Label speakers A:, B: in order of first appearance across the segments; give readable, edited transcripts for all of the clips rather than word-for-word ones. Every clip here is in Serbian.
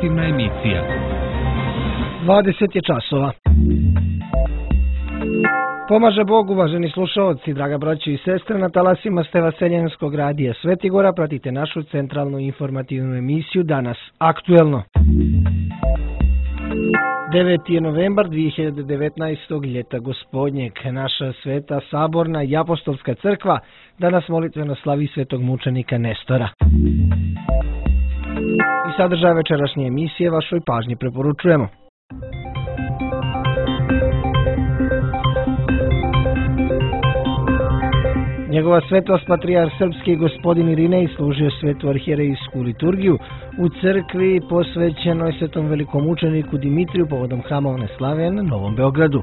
A: informativna emisija.
B: 20 je časova. Pomaže Bog, uvaženi slušaoci, draga braćo i sestre, na talasima ste Vaseljenskog radija Svetigora, pratite našu centralnu informativnu emisiju Danas aktuelno. 9. je novembar 2019. ljeta gospodnjeg. Naša sveta saborna i apostolska crkva danas molitveno slavi svetog mučenika Nestora. I sadržaj večerašnje emisije vašoj pažnji preporučujemo. Njegova svetost patrijarh srpski gospodin Irinej služio svetu arhijerejsku liturgiju u crkvi posvećenoj svetom velikom mučeniku Dimitriju povodom hramovne slave na Novom Beogradu.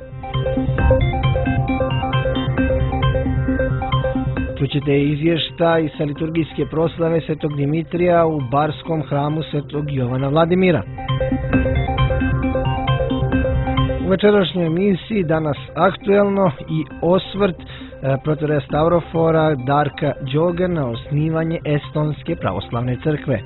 B: Čućete izvještaj sa liturgijske proslave svetog Dimitrija u Barskom hramu svetog Jovana Vladimira. U večerašnjoj emisiji danas aktuelno i osvrt protoreja Stavrofora Darka Đoga na osnivanje Estonske pravoslavne crkve.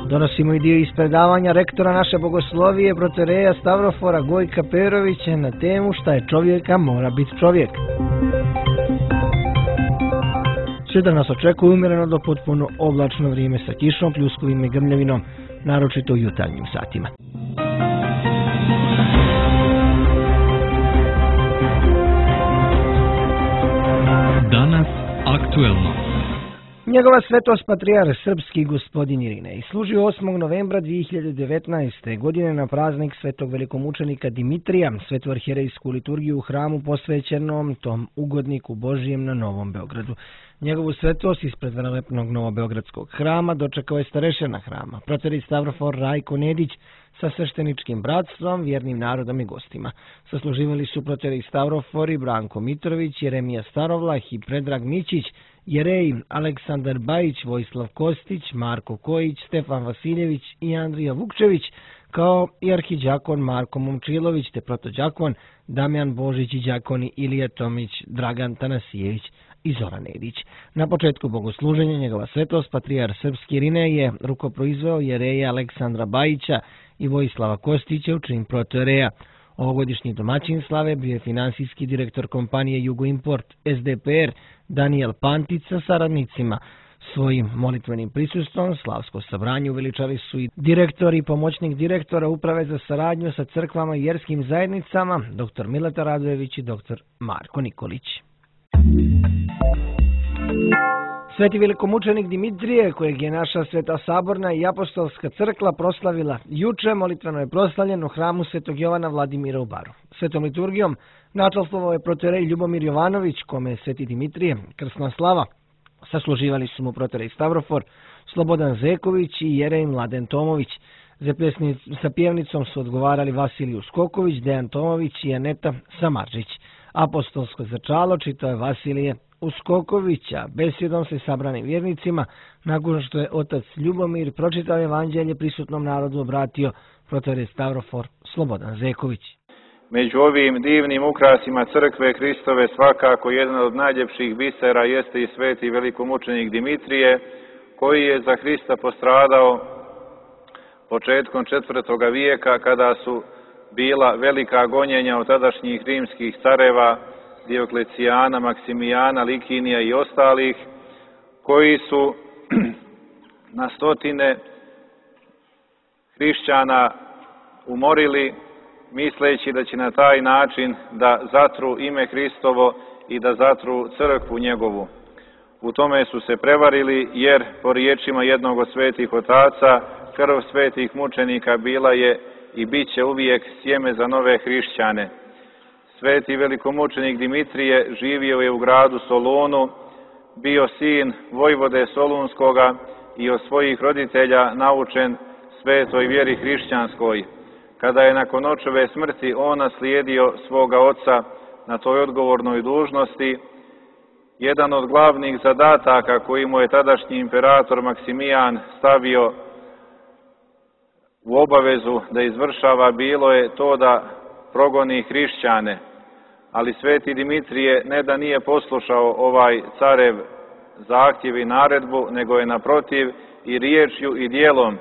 B: Donosimo i dio iz predavanja rektora naše bogoslovije protoreja Stavrofora Gojka Perovića na temu šta je čovjeka mora biti čovjek. Sutra nas očekuje umjereno do potpuno oblačno vrijeme sa kišom, pljuskovim i grmljavinom, naročito u jutarnjim satima.
A: Danas aktuelno.
B: Njegova svetost patrijarh srpski gospodin Irinej služio 8. novembra 2019. godine na praznik svetog velikomučenika Dimitrija, svetu arhijerejsku liturgiju u hramu posvećenom tom ugodniku Božijem na Novom Beogradu. Njegovu svetost ispred velelepnog novobeogradskog hrama dočekao je starešina hrama, protorej Stavrofor Rajko Nedić sa svešteničkim bratstvom, vjernim narodom i gostima. Sasluživali su protorej Stavrofori Branko Mitrović, Jeremija Starovlah i Predrag Mićić, Jerej Aleksandar Bajić, Vojislav Kostić, Marko Kojić, Stefan Vasiljević i Andrija Vukčević, kao i arhiđakon Marko Momčilović te protođakon Damjan Božić i đakoni Ilija Tomić, Dragan Tanasijević i Zoran Nedić. Na početku bogosluženja njegova svetost patrijarh srpski Irinej je rukoproizveo Jereja Aleksandra Bajića i Vojislava Kostića u čin protoreja. Ovogodišnji domaćin slave bio je finansijski direktor kompanije Jugoimport SDPR Daniel Pantic sa saradnicima. Svojim molitvenim prisustvom slavsko sabranje uveličali su i direktor i pomoćnik direktora Uprave za saradnju sa crkvama i vjerskim zajednicama, dr. Mileta Radojević i dr. Marko Nikolić. Sveti velikomučenik Dimitrije, kojeg je naša sveta saborna i apostolska crkva proslavila juče, molitveno je proslavljen u hramu svetog Jovana Vladimira u Baru. Svetom liturgijom načalstvovao je protorej Ljubomir Jovanović, kome je sveti Dimitrije krsna slava. Sasluživali su mu protorej Stavrofor, Slobodan Zeković i Jerej Mladen Tomović. Sa pjevnicom su odgovarali Vasiliju Skoković, Dejan Tomović i Aneta Samarđić. Apostolsko začalo čitao je Vasilije Uskokovića. Besjedom se sabranim vjernicima, nakon što je otac Ljubomir pročitao evanđelje prisutnom narodu, obratio protorej Stavrofor Slobodan Zeković.
C: Među ovim divnim ukrasima crkve Hristove svakako jedan od najljepših bisera jeste i sveti velikomučenik Dimitrije, koji je za Hrista postradao početkom 4. vijeka kada su bila velika gonjenja od tadašnjih rimskih careva Dioklecijana, Maksimijana, Likinija i ostalih, koji su na stotine hrišćana umorili, misleći da će na taj način da zatru ime Hristovo i da zatru crkvu njegovu. U tome su se prevarili, jer po riječima jednog od svetih otaca, krv svetih mučenika bila je i bit će uvijek sjeme za nove hrišćane. Sveti velikomučenik Dimitrije živio je u gradu Solunu, bio sin vojvode Solunskoga i od svojih roditelja naučen svetoj vjeri hrišćanskoj. Kada je nakon očeve smrti on naslijedio svoga oca na toj odgovornoj dužnosti, jedan od glavnih zadataka koji mu je tadašnji imperator Maksimijan stavio u obavezu da izvršava bilo je to da progoni hrišćane. Ali sveti Dimitrije ne da nije poslušao ovaj carev zahtjev i naredbu, nego je naprotiv i riječju i dijelom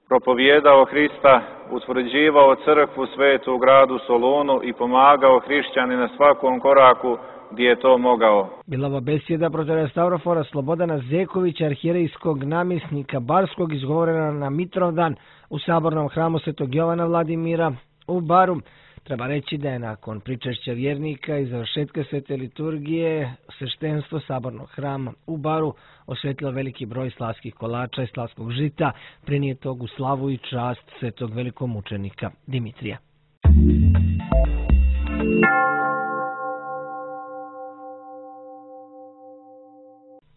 C: propovijedao Hrista, utvrđivao crkvu svetu u gradu Solunu i pomagao hrišćani na svakom koraku gdje je to mogao.
B: Bila ova besjeda protoreja Stavrofora Slobodana Zekovića, arhijerejskog namjesnika Barskog, izgovorena na Mitrovdan u sabornom hramu Svetog Jovana Vladimira u Baru. Treba reći da je nakon pričešća vjernika i završetka svete liturgije sveštenstvo sabornog hrama u Baru osvetilo veliki broj slavskih kolača i slavskog žita, prinijetog u slavu i čast svetog velikomučenika Dimitrija.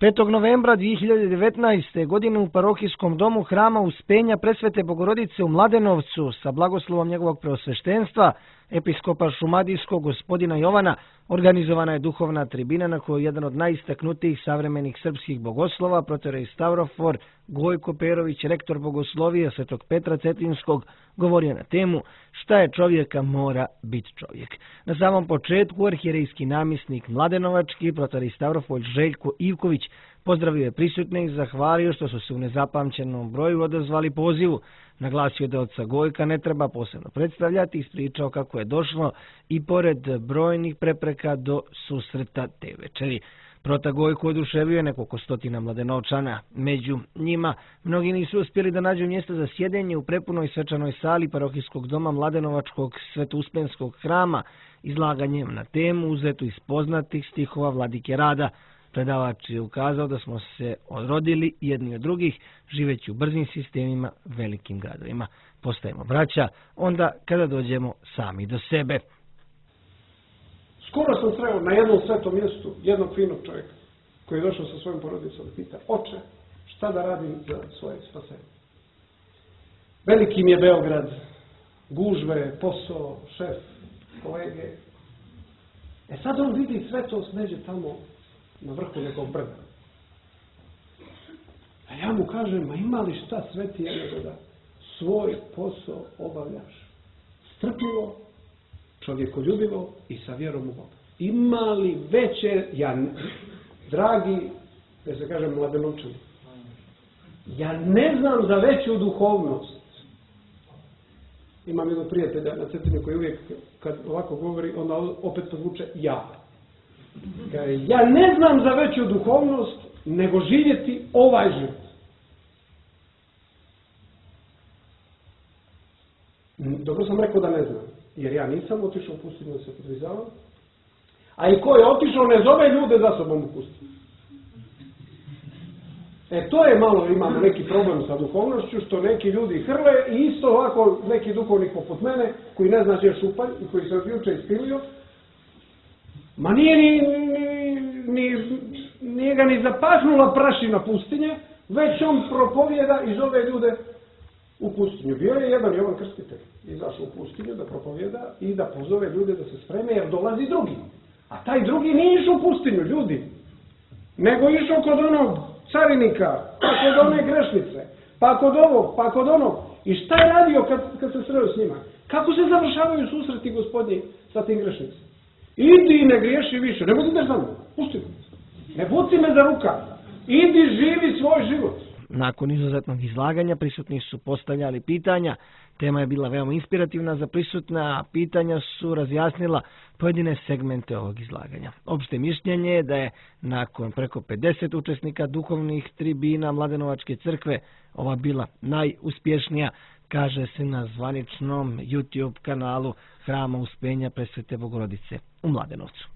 B: 5. novembra 2019. godine u parohijskom domu hrama Uspenja Presvete Bogorodice u Mladenovcu sa blagoslovom njegovog preosveštenstva, episkopa šumadijskog gospodina Jovana, organizovana je duhovna tribina na kojoj jedan od najistaknutijih savremenih srpskih bogoslova, protorej Stavrofor Gojko Perović, rektor bogoslovija Svetog Petra Cetinskog, govorio na temu šta je čovjeka mora biti čovjek. Na samom početku arhijerejski namjesnik Mladenovački, protorej Stavrofor Željko Ivković, pozdravio je prisutne i zahvalio što su se u nezapamćenom broju odazvali pozivu. Naglasio da oca Gojka ne treba posebno predstavljati, ispričao kako je došlo i pored brojnih prepreka do susreta te večeri. Prota Gojko oduševio je nekoliko stotina Mladenovčana. Među njima mnogi nisu uspjeli da nađu mjesto za sjedenje u prepunoj svečanoj sali parohijskog doma Mladenovačkog Svetouspenskog hrama, izlaganjem na temu uzetu iz poznatih stihova Vladike Rada. Predavač je ukazao da smo se odrodili jedni od drugih, živeći u brzim sistemima, velikim gradovima. Postajemo braća onda kada dođemo sami do sebe.
D: Skoro sam sreo na jednom svetom mjestu jednog finog čovjeka koji je došao sa svojom porodicom i pita: oče, šta da radim za svoje spasenje? Veliki mi je Beograd, gužve, posao, šef, kolege. Sad on vidi sve to smeđe tamo na vrhu nekog brda. A ja mu kažem: ma ima li šta svetije nego da svoj posao obavljaš strpljivo, čovjekoljubivo i sa vjerom u Boga? Ima li veće, dragi, da se kažem Mladenovčani, ja ne znam za veću duhovnost. Imam jednog prijatelja na Cetini koji uvijek kad ovako govori, onda opet podvuče ja. Ja ne znam za veću duhovnost nego živjeti ovaj život. Dobro sam rekao da ne znam, jer ja nisam otišao u pustinju da se podvizavam, a i ko je otišao ne zove ljude za sobom u pustinju. To je malo, imamo neki problem sa duhovnošću, što neki ljudi hrle i isto ovako neki duhovnik poput mene, koji ne zna gdje je šupalj i koji se od juče ispilio, ma nije ga ni zapahnula prašina pustinje, već on propovjeda i zove ljude u pustinju. Bio je jedan Jovan Krstitelj, izašao u pustinju da propovjeda i da pozove ljude da se spreme jer dolazi drugi. A taj drugi nije išao u pustinju, ljudi, nego išao kod onog carinika, pa kod one grešnice, pa kod ovog, pa kod onog. I šta je radio kad se sreo s njima? Kako se završavaju susreti Gospodnji sa tim grešnicima? Idi i ne griješi više, ne budeš za mnom, pusti me, ne buci me za ruka, idi živi svoj život.
B: Nakon izuzetnog izlaganja prisutni su postavljali pitanja. Tema je bila veoma inspirativna za prisutne, a pitanja su razjasnila pojedine segmente ovog izlaganja. Opšte mišljenje je da je nakon preko 50 učesnika duhovnih tribina Mladenovačke crkve ova bila najuspješnija, kaže se na zvaničnom YouTube kanalu Hrama Uspenja Presvete Bogorodice u Mladenovcu.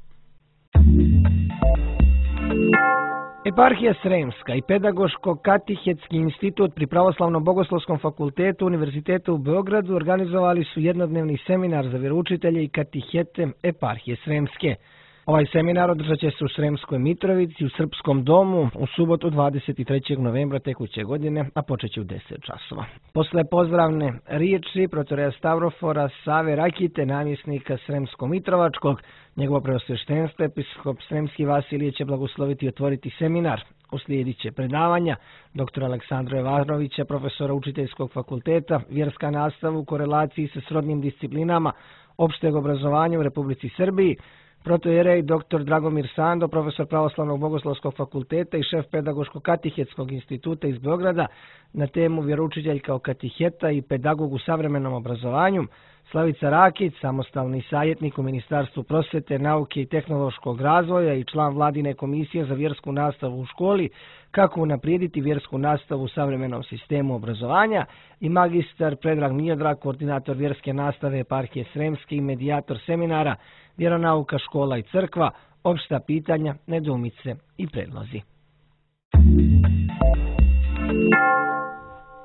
B: Eparhija Sremska i Pedagoško-katehetski institut pri Pravoslavno-bogoslovskom fakultetu Univerziteta u Beogradu organizovali su jednodnevni seminar za vjeroučitelje i katehete Eparhije Sremske. Ovaj seminar održat će se u Sremskoj Mitrovici u Srpskom domu u subotu 23. novembra tekuće godine, a počet će u 10 časova. Posle pozdravne riječi protoreja Stavrofora Save Rakite, namjesnika Sremsko-Mitrovačkog, njegovo preosveštenstvo episkop Sremski Vasilije će blagosloviti i otvoriti seminar. Uslijedit će predavanja dr. Aleksandra Jovanovića, profesora Učiteljskog fakulteta, vjerska nastava u korelaciji sa srodnim disciplinama opšteg obrazovanja u Republici Srbiji, protojerej dr. Dragomir Sando, profesor Pravoslavnog bogoslovskog fakulteta i šef Pedagoško-katehetskog instituta iz Beograda na temu vjeroučitelj kao kateheta i pedagog u savremenom obrazovanju, Slavica Rakić, samostalni savjetnik u Ministarstvu prosvete, nauke i tehnološkog razvoja i član Vladine komisije za vjersku nastavu u školi, kako unaprijediti vjersku nastavu u savremenom sistemu obrazovanja, i magistar Predrag Miodrag, koordinator vjerske nastave eparhije Sremske i medijator seminara Vjeronauka, škola i crkva, opšta pitanja, nedoumice i predlozi.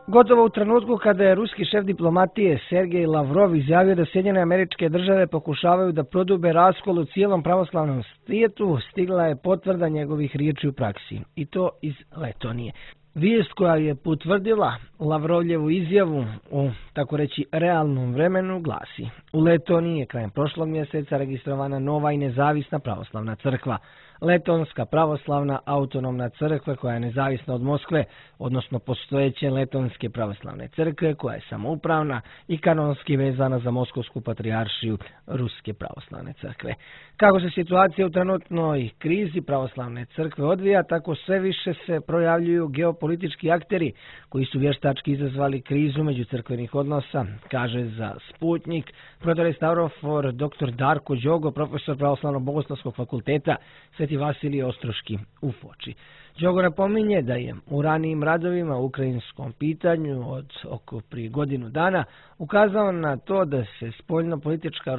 B: Gotovo u trenutku kada je ruski šef diplomatije Sergej Lavrov izjavio da Sjedinjene Američke Države pokušavaju da prodube raskol u cijelom pravoslavnom svijetu, stigla je potvrda njegovih riječi u praksi, i to iz Letonije. Vijest koja je potvrdila Lavrovljevu izjavu u, tako reći, realnom vremenu glasi: u Letoniji je krajem prošlog mjeseca registrovana nova i nezavisna pravoslavna crkva. Letonska pravoslavna autonomna crkva koja je nezavisna od Moskve, odnosno postojeće Letonske pravoslavne crkve koja je samoupravna i kanonski vezana za Moskovsku patrijaršiju Ruske pravoslavne crkve. Kako se situacija u trenutnoj krizi pravoslavne crkve odvija, tako sve više se projavljuju geopolitički akteri koji su vještački izazvali krizu međucrkvenih odnosa, kaže za Sputnik protorestavrofor dr. Darko Đogo, profesor Pravoslavnog bogoslovskog fakulteta Sveti Vasilije Ostroški u Foči. Đogo napominje da je u ranijim radovima u ukrajinskom pitanju od oko prije godinu dana ukazao na to da se spoljno-politička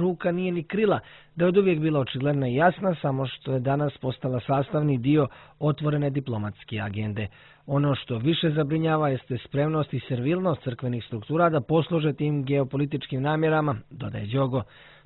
B: ruka nije ni krila, da je od uvijek bila očigledna i jasna, samo što je danas postala sastavni dio otvorene diplomatske agende. Ono što više zabrinjava jeste spremnost i servilnost crkvenih struktura da posluže tim geopolitičkim namjerama, dodaje Đogo.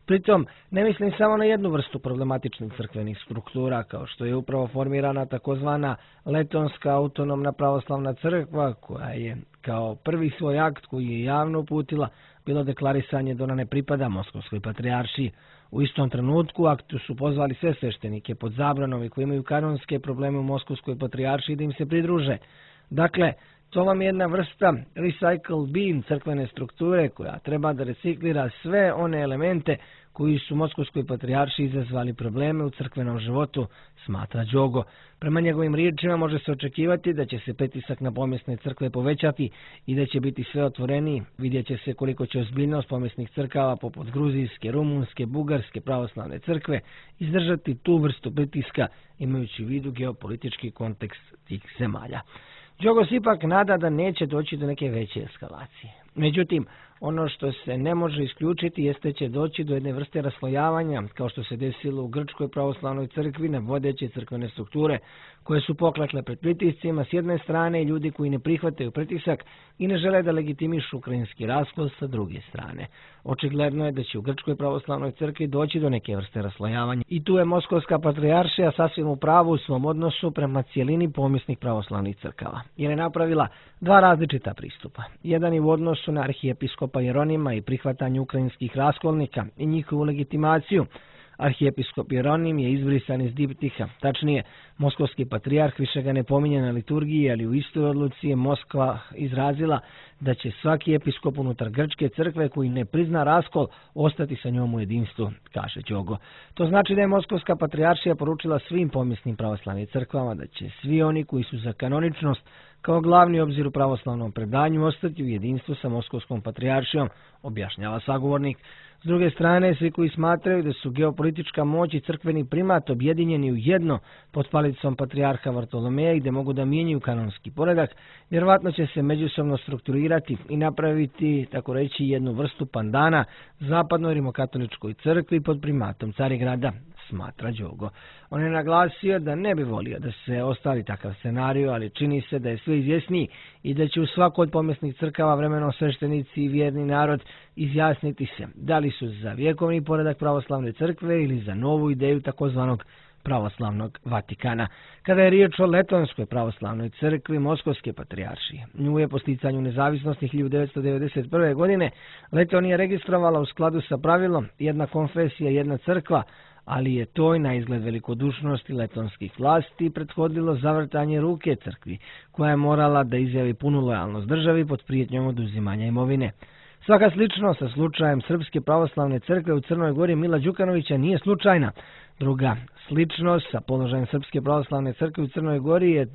B: Pritom, ne mislim samo na jednu vrstu problematičnih crkvenih struktura, kao što je upravo formirana takozvana Letonska autonomna pravoslavna crkva, koja je kao prvi svoj akt koji je javno uputila bilo deklarisanje da ona ne pripada Moskovskoj patrijaršiji. U istom trenutku aktu su pozvali sve sveštenike pod zabranom i koji imaju kanonske probleme u Moskovskoj patrijaršiji da im se pridruže. Dakle, to vam je jedna vrsta recycle bin crkvene strukture koja treba da reciklira sve one elemente koji su Moskovskoj patrijaršiji izazvali probleme u crkvenom životu, smatra Đogo. Prema njegovim riječima može se očekivati da će se pritisak na pomjesne crkve povećati i da će biti sve otvoreniji. Vidjet će se koliko će ozbiljnost pomjesnih crkava poput gruzijske, rumunske, bugarske pravoslavne crkve izdržati tu vrstu pritiska, imajući u vidu geopolitički kontekst tih zemalja. Đogo se ipak nada da neće doći do neke veće eskalacije. Međutim, ono što se ne može isključiti jeste će doći do jedne vrste raslojavanja, kao što se desilo u Grčkoj pravoslavnoj crkvi na vodeće crkvene strukture, koje su poklekle pred pritiscima s jedne strane i ljudi koji ne prihvataju pritisak i ne žele da legitimišu ukrajinski raskol sa druge strane. Očigledno je da će u Grčkoj pravoslavnoj crkvi doći do neke vrste raslojavanja i tu je Moskovska patrijaršija sasvim u pravu u svom odnosu prema cijelini pomjesnih pravoslavnih crkava, jer je napravila dva različita pristupa. Jedan je u odnosu na arhijepiskopa Jeronima i prihvatanju ukrajinskih raskolnika i njihovu legitimaciju. Arhijepiskop Jeronim je izbrisan iz diptiha, tačnije, moskovski patrijarh više ga ne pominje na liturgiji, ali u istoj odluci je Moskva izrazila da će svaki episkop unutar Grčke crkve koji ne prizna raskol ostati sa njom u jedinstvu, kaže Đogo. To znači da je Moskovska patrijaršija poručila svim pomjesnim pravoslavnim crkvama da će svi oni koji su za kanoničnost kao glavni obzir u pravoslavnom predanju ostati u jedinstvu sa Moskovskom patrijaršijom, objašnjava sagovornik. S druge strane, svi koji smatraju da su geopolitička moć i crkveni primat objedinjeni u jedno pod palicom patrijarha Vartolomeja i da mogu da mijenjaju kanonski poredak, vjerovatno će se međusobno strukturirati i napraviti, tako reći, jednu vrstu pandana zapadnoj rimokatoličkoj crkvi pod primatom Carigrada, smatra Đogo. On je naglasio da ne bi volio da se ostvari takav scenarij, ali čini se da je sve izvjesniji i da će u svakoj od pomjesnih crkava vremenom sveštenici i vjerni narod izjasniti se da li su za vjekovni poredak pravoslavne crkve ili za novu ideju takozvanog pravoslavnog Vatikana. Kada je riječ o Letonskoj pravoslavnoj crkvi Moskovske patrijaršije, nju je po sticanju nezavisnosti 1991. godine Letonija registrovala u skladu sa pravilom jedna konfesija, jedna crkva, ali je toj na izgled velikodušnosti letonskih vlasti prethodilo zavrtanje ruke crkvi, koja je morala da izjavi punu lojalnost državi pod prijetnjom oduzimanja imovine. Svaka sličnost sa slučajem Srpske pravoslavne crkve u Crnoj Gori Mila Đukanovića nije slučajna. Druga sličnost sa položajem Srpske pravoslavne crkve u Crnoj Gori je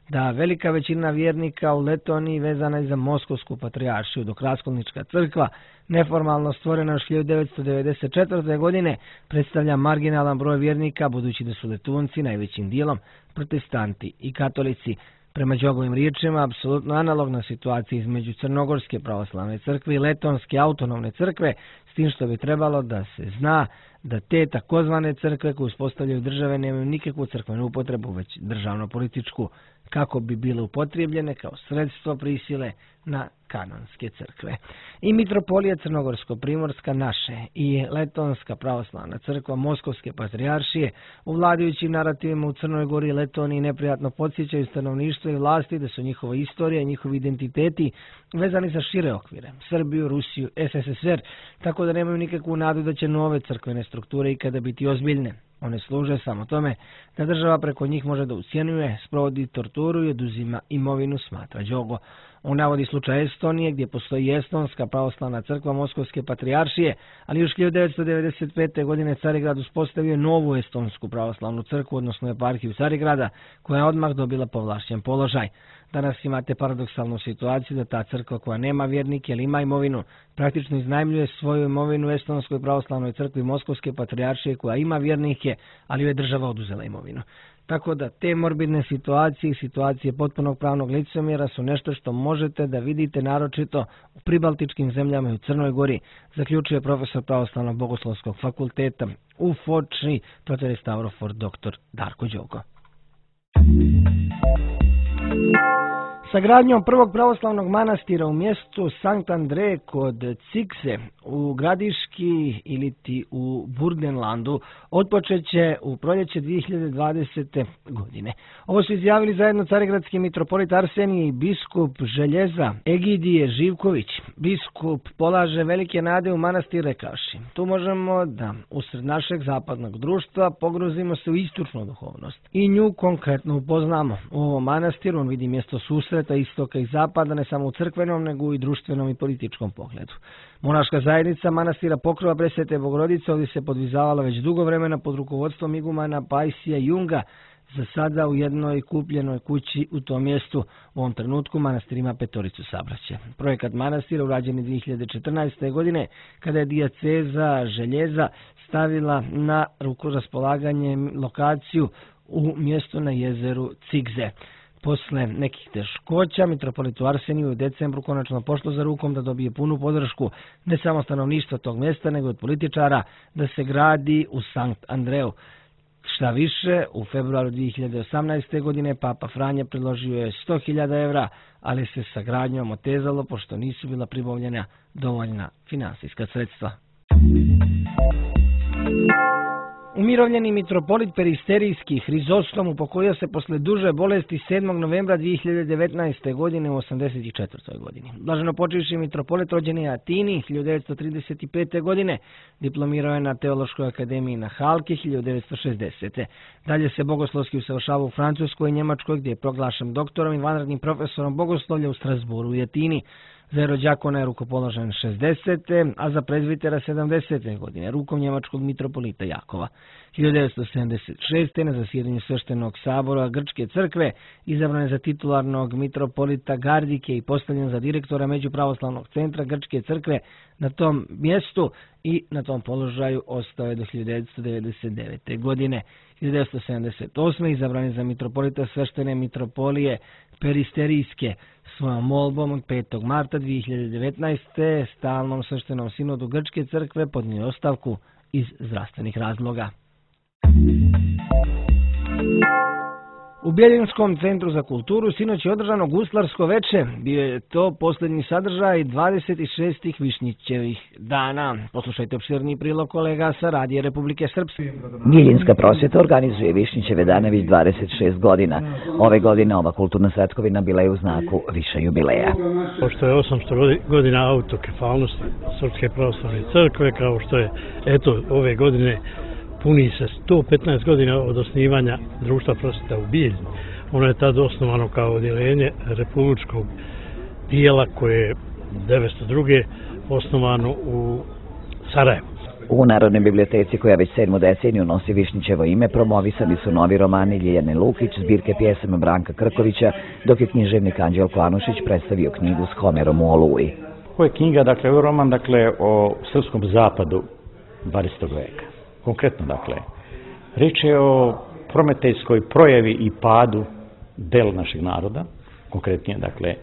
B: da velika većina vjernika u Letoniji vezana je za Moskovsku patrijaršiju, dok Raskolnička crkva, neformalno stvorena još 1994. godine, predstavlja marginalan broj vjernika, budući da su Letunci najvećim dijelom protestanti i katolici. Prema Đogovim riječima, apsolutno analogna situacija između Crnogorske pravoslavne crkve i Letonske autonomne crkve, s tim što bi trebalo da se zna da te takozvane crkve koje uspostavljaju države nemaju nikakvu crkvenu upotrebu, već državno-političku, kako bi bile upotrijebljene kao sredstvo prisile na kanonske crkve. I mitropolija Crnogorsko-Primorska naše i Letonska pravoslavna crkva Moskovske patrijaršije u vladajućim narativima u Crnoj Gori i Letoniji neprijatno podsjećaju stanovništvo i vlasti da su njihova istorija i njihovi identiteti vezani za šire okvire, Srbiju, Rusiju, SSSR, tako da nemaju nikakvu nadu da će nove crkvene strukture ikada biti ozbiljne. One služe samo tome da država preko njih može da ucjenjuje, sprovodi torturu i oduzima imovinu, smatra Đogo. On navodi slučaj Estonije gdje postoji Estonska pravoslavna crkva Moskovske patrijaršije, ali još 1995. godine Carigrad uspostavio novu Estonsku pravoslavnu crkvu, odnosno eparhiju Carigrada, koja je odmah dobila povlašćen položaj. Danas imate paradoksalnu situaciju da ta crkva koja nema vjernike ili ima imovinu, praktično iznajmljuje svoju imovinu Estonskoj pravoslavnoj crkvi Moskovske patrijaršije koja ima vjernike, ali joj je država oduzela imovinu. Tako da te morbidne situacije i situacije potpunog pravnog licemjera su nešto što možete da vidite naročito u pribaltičkim zemljama i u Crnoj Gori, zaključuje profesor Pravoslavnog bogoslovskog fakulteta u Foči, protere Stavrofor, dr. Darko Đogo. Sa gradnjom prvog pravoslavnog manastira u mjestu Sankt Andrej kod Cikse u Gradiški iliti u Burgenlandu otpočet će u proljeće 2020. godine. Ovo su izjavili zajedno carigradski mitropolit Arsenije i biskup Željeza Egidije Živković. Biskup polaže velike nade u manastir rekavši: tu možemo da usred našeg zapadnog društva pogruzimo se u istočnu duhovnost i nju konkretno upoznamo. U ovom manastiru on vidi mjesto susreta istoka i zapada, ne samo u crkvenom, nego i društvenom i političkom pogledu. Monaška zajednica manastira Pokrova Presvete Bogorodice ovdje se podvizavala već dugo vremena pod rukovodstvom igumana Pajsija Junga, za sada u jednoj kupljenoj kući u tom mjestu. U ovom trenutku manastir ima 5 sabraća. Projekat manastira urađen je 2014. godine, kada je dijaceza Željeza stavila na raspolaganje lokaciju u mjestu na jezeru Cikze. Posle nekih teškoća, mitropolitu Arseniju u decembru konačno pošlo za rukom da dobije punu podršku ne samo stanovništva tog mjesta, nego od političara da se gradi u Sankt Andreju. Šta više, u februaru 2018. godine Papa Franje predložio je 100.000 evra, ali se sa gradnjom otezalo pošto nisu bila pribavljena dovoljna finansijska sredstva. Umirovljeni mitropolit Peristerijski Hrizostom upokojio se posle duže bolesti 7. novembra 2019. godine u 84. godini. Blaženo počivši mitropolit rođen je u Atini 1935. godine, diplomirao je na Teološkoj akademiji na Halki 1960. Dalje se bogoslovski usavršavao u Francuskoj i Njemačkoj, gdje je proglašen doktorom i vanrednim profesorom bogoslovlja u Strasburu i Atini. Za rođakona je rukopoložen 60. a za prezbitera 70. godine rukom njemačkog mitropolita Jakova. 1976. na zasjedanju Sveštenog sabora Grčke crkve izabran je za titularnog mitropolita Gardike i postavljen za direktora Međupravoslavnog centra Grčke crkve na tom mjestu i na tom položaju ostao je do 1999. godine. 1978. izabran je za mitropolita Sveštene mitropolije Peristerijske. Svojom molbom od 5. marta 2019. stalnom sveštenom sinodu Grčke crkve podnio ostavku iz zdravstvenih razloga. U Bjeljinskom centru za kulturu sinoć je održano guslarsko veče. Bio je to posljednji sadržaj 26. Višnjićevih dana. Poslušajte opširni prilog kolega sa Radija Republike Srpske.
E: Bijeljinska prosvjeta organizuje Višnjićeve dane već 26 godina. Ove godine ova kulturna svetkovina bila je u znaku više jubileja.
F: Pošto je 800 godina autokefalnosti Srpske pravoslavne crkve, kao što je ove godine puni se 115 godina od osnivanja Društva prosvjeta u Bijeljini. Ono je tada osnovano kao odjeljenje republičkog dijela koje 1902. osnovano u Sarajevu.
E: U Narodnoj biblioteci, koja već 7. deceniju nosi Višnjićevo ime, promovisani su novi romani Ljiljane Lukić, zbirke pjesama Branka Krkovića, dok je književnik Anđelko Anušić predstavio knjigu s Homerom u Oluji.
G: Ovo je knjiga, dakle, ovo je roman, dakle, o srpskom zapadu 20. veka. Konkretno, dakle, riječ je o prometejskoj projavi i padu dela našeg naroda, konkretnije, dakle,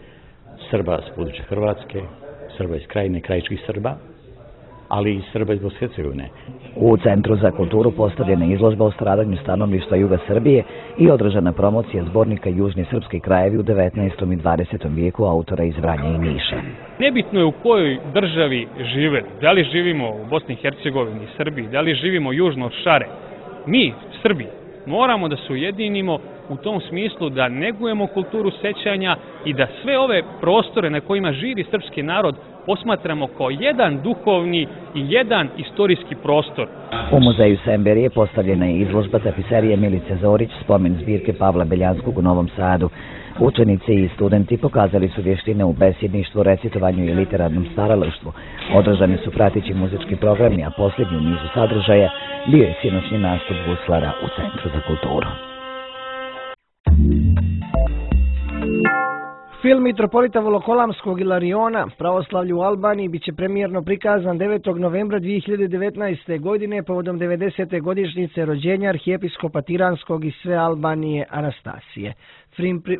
G: Srba s područja Hrvatske, Srba iz Krajine, krajičkih Srba, ali i Srba iz Bosne i Hercegovine.
E: U Centru za kulturu postavljena je izložba o stradanju stanovništva juga Srbije i održana promocija zbornika Južni srpski krajevi u 19. i 20. vijeku autora iz Vranja i Niša.
H: Nebitno je u kojoj državi žive, da li živimo u Bosni i Hercegovini, Srbiji, da li živimo južno od Šare. Mi, Srbi, moramo da se ujedinimo u tom smislu da negujemo kulturu sećanja i da sve ove prostore na kojima živi srpski narod posmatramo kao jedan duhovni i jedan istorijski prostor.
E: U muzeju Semberije postavljena je izložba tapiserije Milice Zorić, spomen zbirke Pavla Beljanskog u Novom Sadu. Učenici i studenti pokazali su vještine u besjedništvu, recitovanju i literarnom stvaralaštvu. Održani su prateći muzički programi, a posljednji u nizu sadržaja bio je sinoćni nastup guslara u Centru za kulturu.
B: Film mitropolita Volokolamskog Ilariona, Pravoslavlje u Albaniji, biće premijerno prikazan 9. novembra 2019. godine povodom 90. godišnjice rođenja arhijepiskopa Tiranskog i sve Albanije Anastasije.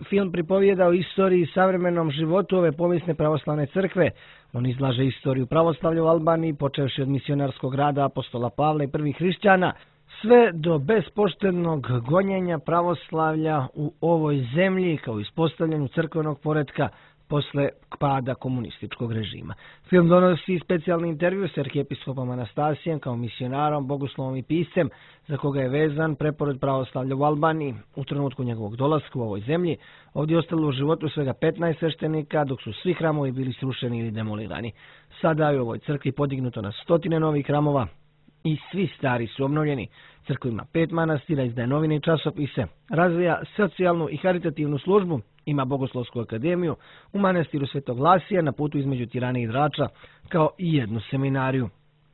B: Film pripovijeda o istoriji i savremenom životu ove povijesne pravoslavne crkve. On izlaže istoriju pravoslavlja u Albaniji, počevši od misionarskog rada apostola Pavla i prvih hrišćana, sve do bespoštednog gonjenja pravoslavlja u ovoj zemlji kao ispostavljanju crkvenog poretka posle pada komunističkog režima. Film donosi specijalni intervju s arhijepiskopom Anastasijem kao misionarom, bogoslovom i piscem za koga je vezan preporod pravoslavlja u Albaniji. U trenutku njegovog dolaska u ovoj zemlji ovdje je ostalo u životu svega 15 sveštenika, dok su svi hramovi bili srušeni ili demolirani. Sada je u ovoj crkvi podignuto na stotine novih hramova i svi stari su obnovljeni. Crkva ima 5 manastira, izdaje novine i časopise, razvija socijalnu i haritativnu službu, ima bogoslovsku akademiju, u manastiru Svetog Vlasija na putu između Tirane i Drača, kao i jednu seminariju.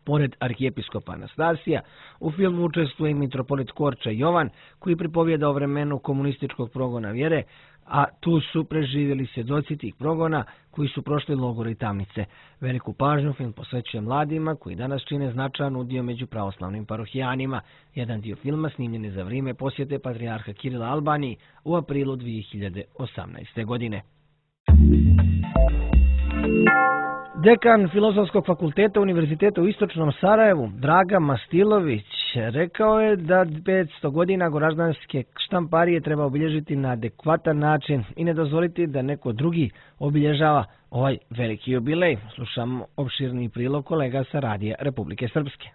B: Pored arhijepiskopa Anastasija, u filmu učestvuje i mitropolit Korča Jovan, koji pripovijeda o vremenu komunističkog progona vjere, a tu su preživjeli svjedoci tih progona koji su prošli logore i tamnice. Veliku pažnju film posvećuje mladima koji danas čine značajan udio među pravoslavnim parohijanima. Jedan dio filma snimljen je za vrijeme posjete patrijarha Kirila Albaniji u aprilu 2018. godine. Dekan Filozofskog fakulteta Univerziteta u Istočnom Sarajevu, Draga Mastilović, rekao je da 500 godina Goraždanske štamparije treba obilježiti na adekvatan način i ne dozvoliti da neko drugi obilježava ovaj veliki jubilej. Slušamo opširni prilog kolega sa Radija Republike Srpske.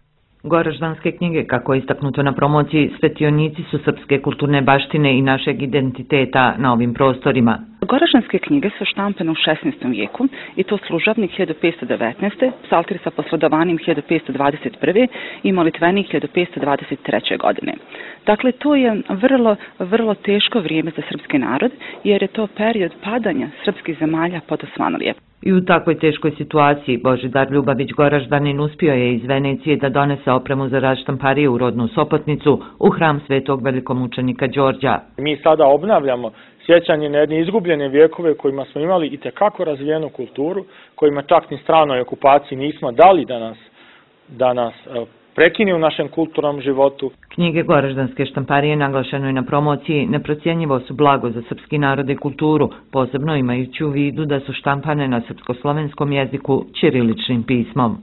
I: Goraždanske knjige, kako je istaknuto na promociji, svetionici su srpske kulturne baštine i našeg identiteta na ovim prostorima.
J: Goraždanske knjige su štampane u 16. vijeku i to služavnik 1519. psaltir sa posredovanjem 1521. i molitvenik 1523. godine. Dakle, to je vrlo teško vrijeme za srpski narod, jer je to period padanja srpskih zemalja pod Osmanlije.
I: I u takvoj teškoj situaciji Božidar Ljubavić Goraždanin uspio je iz Venecije da donese opremu za rad štamparije u rodnu Sopotnicu u hram svetog velikomučenika Đorđa.
K: Mi sada obnavljamo sjećanje na jedne izgubljene vjekove kojima smo imali i tekako razvijenu kulturu, kojima čak ni stranoj okupaciji nismo dali da nas prekine u našem kulturnom životu.
I: Knjige Goraždanske štamparije, naglašeno je na promociji, neprocjenjivo su blago za srpski narod i kulturu, posebno imajući u vidu da su štampane na srpsko-slovenskom jeziku ćiriličnim pismom.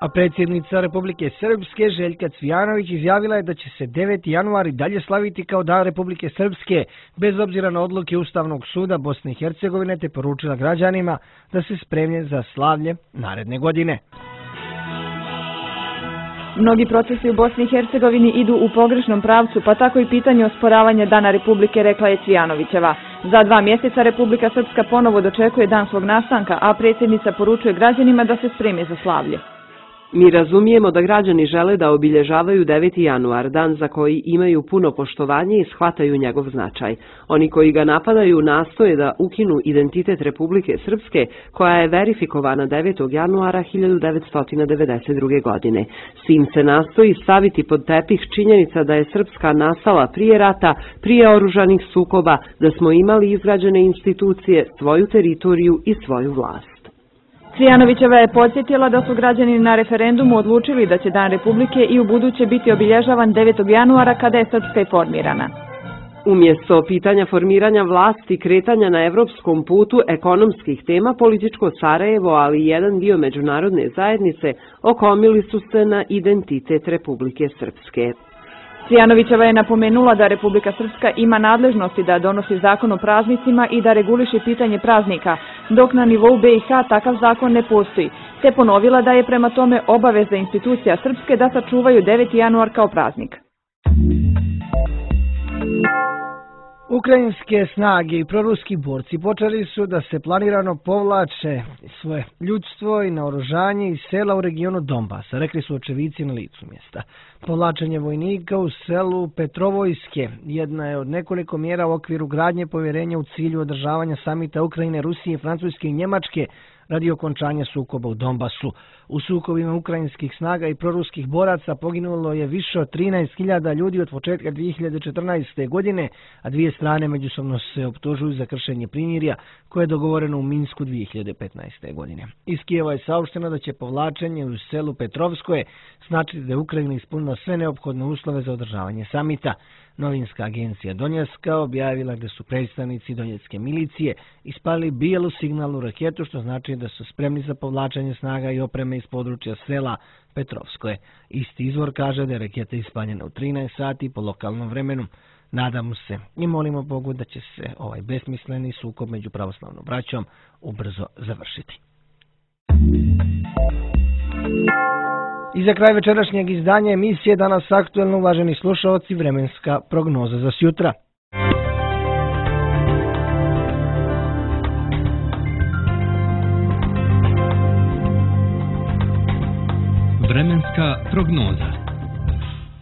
B: A predsjednica Republike Srpske Željka Cvijanović izjavila je da će se 9. januar i dalje slaviti kao Dan Republike Srpske, bez obzira na odluke Ustavnog suda Bosne i Hercegovine, te poručila građanima da se spremlje za slavlje naredne godine.
L: Mnogi procesi u Bosni i Hercegovini idu u pogrešnom pravcu, pa tako i pitanje osporavanja Dana Republike, rekla je Cvijanovićeva. Za 2 mjeseca Republika Srpska ponovo dočekuje dan svog nastanka, a predsjednica poručuje građanima da se spreme za slavlje.
M: Mi razumijemo da građani žele da obilježavaju 9. januar, dan za koji imaju puno poštovanje i shvataju njegov značaj. Oni koji ga napadaju nastoje da ukinu identitet Republike Srpske, koja je verifikovana 9. januara 1992. godine. S tim se nastoji staviti pod tepih činjenica da je Srpska nastala prije rata, prije oružanih sukoba, da smo imali izgrađene institucije, svoju teritoriju i svoju vlast.
L: Cvijanovićeva je podsjetila da su građani na referendumu odlučili da će Dan Republike i u buduće biti obilježavan 9. januara kada je Srpska i formirana.
M: Umjesto pitanja formiranja vlasti i kretanja na evropskom putu ekonomskih tema, političko Sarajevo, ali i jedan dio međunarodne zajednice okomili su se na identitet Republike Srpske.
L: Cvijanovićeva je napomenula da Republika Srpska ima nadležnosti da donosi zakon o praznicima i da reguliše pitanje praznika, dok na nivou BiH takav zakon ne postoji, te ponovila da je prema tome obaveza institucija Srpske da sačuvaju 9. januar kao praznik.
B: Ukrajinske snage i proruski borci počeli su da se planirano povlače svoje ljudstvo i naoružanje iz sela u regionu Donbasa, rekli su očevici na licu mjesta. Povlačenje vojnika u selu Petrovojske jedna je od nekoliko mjera u okviru gradnje povjerenja u cilju održavanja samita Ukrajine, Rusije, Francuske i Njemačke radi okončanja sukoba u Donbasu. U sukobima ukrajinskih snaga i proruskih boraca poginulo je više od 13.000 ljudi od početka 2014. godine, a dvije strane međusobno se optužuju za kršenje primirja koje je dogovoreno u Minsku 2015. godine. Iz Kijeva je saopšteno da će povlačenje u selu Petrovskoje značiti da je Ukrajina ispunila sve neophodne uslove za održavanje samita. Novinska agencija Donjeska objavila da su predstavnici donjetske milicije ispalili bijelu signalnu raketu, što znači da su spremni za povlačenje snaga i opreme iz područja sela Petrovskoje. Isti izvor kaže da je raketa ispaljena u 13 sati po lokalnom vremenu. Nadamo se i molimo Bogu da će se ovaj besmisleni sukob među pravoslavnom braćom ubrzo završiti. I za kraj večerašnjeg izdanja emisije Danas aktuelno, uvaženi slušalci, vremenska prognoza za sjutra.
A: Vremenska prognoza.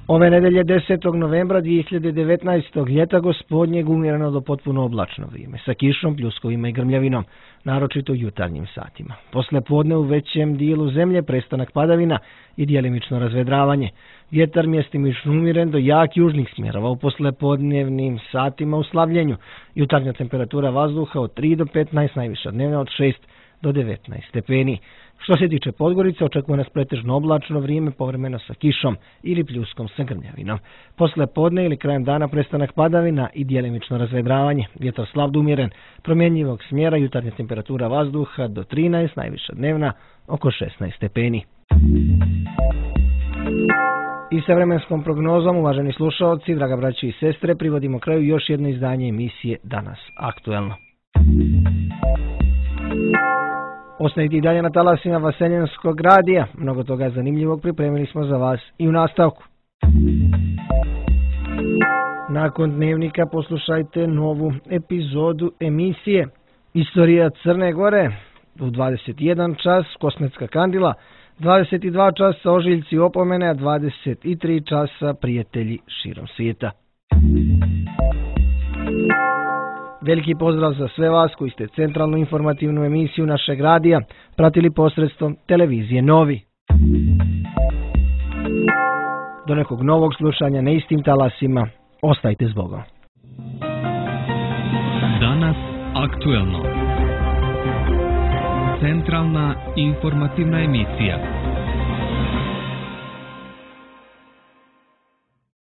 B: Ove nedelje 10. novembra 2019. ljeta gospodnjeg umjereno do potpuno oblačno vrijeme, sa kišom, pljuskovima i grmljavinom, naročito u jutarnjim satima. Posle podne u većem dijelu zemlje prestanak padavina i djelimično razvedravanje. Vjetar mjestimično umiren do jak južnih smjerova u poslepodnevnim satima u slavljenju. Jutarnja temperatura vazduha od 3 do 15, najviša dnevna od 6 do 19 stepeni. Što se tiče Podgorice, očekuje nas pretežno oblačno vrijeme, povremeno sa kišom ili pljuskom sa grmljavinom. Posle podne ili krajem dana prestanak padavina i djelimično razvedravanje. Vjetar slab do umjeren, promjenjivog smjera, jutarnja temperatura vazduha do 13, najviša dnevna oko 16 stepeni. I sa vremenskom prognozom, uvaženi slušalci, draga braći i sestre, privodimo kraju još jedno izdanje emisije Danas aktuelno. Ostanite i dalje na talasima Vaseljenskog radija. Mnogo toga zanimljivog pripremili smo za vas i u nastavku. Nakon dnevnika poslušajte novu epizodu emisije Istorija Crne Gore u 21 čas, Kosmetska kandila, 22 časa Ožiljci i opomene, a 23 časa Prijatelji širom svijeta. Veliki pozdrav za sve vas koji ste centralnu informativnu emisiju našeg radija pratili posredstvom televizije Novi. Do nekog novog slušanja na istim talasima, ostajte s Bogom.
A: Danas aktuelno. Centralna informativna emisija.